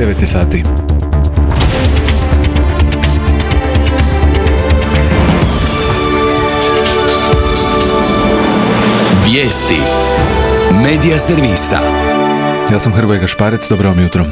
9 sati. Vijesti Medija servisa. Ja sam Hrvoje Gašparec, dobro vam jutro.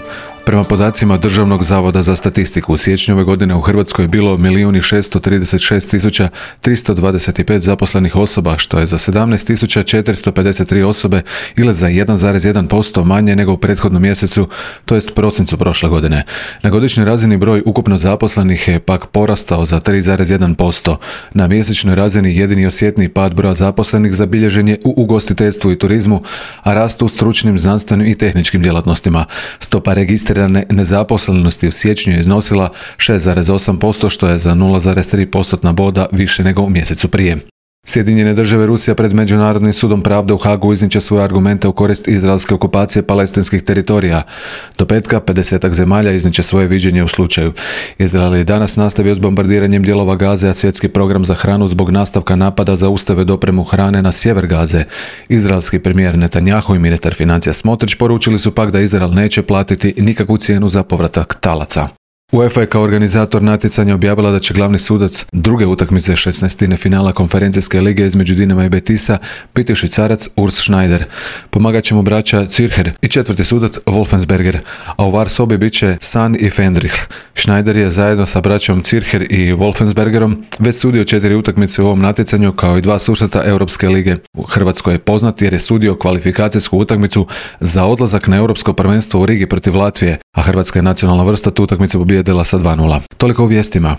Prema podacima Državnog zavoda za statistiku, u siječnju ove godine u Hrvatskoj je bilo 1.636.325 zaposlenih osoba, što je za 17.453 osobe ili za 1,1% manje nego u prethodnom mjesecu, to jest prosincu prošle godine. Na godišnjoj razini broj ukupno zaposlenih je pak porastao za 3,1%. Na mjesečnoj razini jedini osjetniji pad broja zaposlenih zabilježen je u ugostiteljstvu i turizmu, a rast u stručnim, znanstvenim i tehničkim djelatnostima. Stopa registrirane nezaposlenosti u siječnju je iznosila 6,8%, što je za 0,3% boda više nego u mjesecu prije. Sjedinjene države Rusija pred Međunarodnim sudom pravde u Hagu izniče svoje argumente u korist izraelske okupacije palestinskih teritorija. Do petka 50 zemalja izniče svoje viđenje u slučaju. Izrael je danas nastavio s bombardiranjem dijelova Gaze, a svjetski program za hranu zbog nastavka napada zaustavio dopremu hrane na sjever Gaze. Izraelski premijer Netanjahu i ministar financija Smotrić poručili su pak da Izrael neće platiti nikakvu cijenu za povratak talaca. UEFA je kao organizator natjecanja objavila da će glavni sudac druge utakmice 16. finala konferencijske lige između Dinama i Betisa biti Švicarac Urs Schneider. Pomagat će mu braća Zürcher i četvrti sudac Wolfensberger, a u VAR sobi bit će San i Fendrich. Schneider je zajedno sa braćom Zürcher i Wolfensbergerom već sudio 4 utakmice u ovom natjecanju kao i 2 susreta Europske lige. U Hrvatskoj je poznat jer je sudio kvalifikacijsku utakmicu za odlazak na Europsko prvenstvo u Rigi protiv Latvije, a hrvatska je nacionalna vrsta tu utakmicu pobijedila sa 2:0. Toliko u vijestima.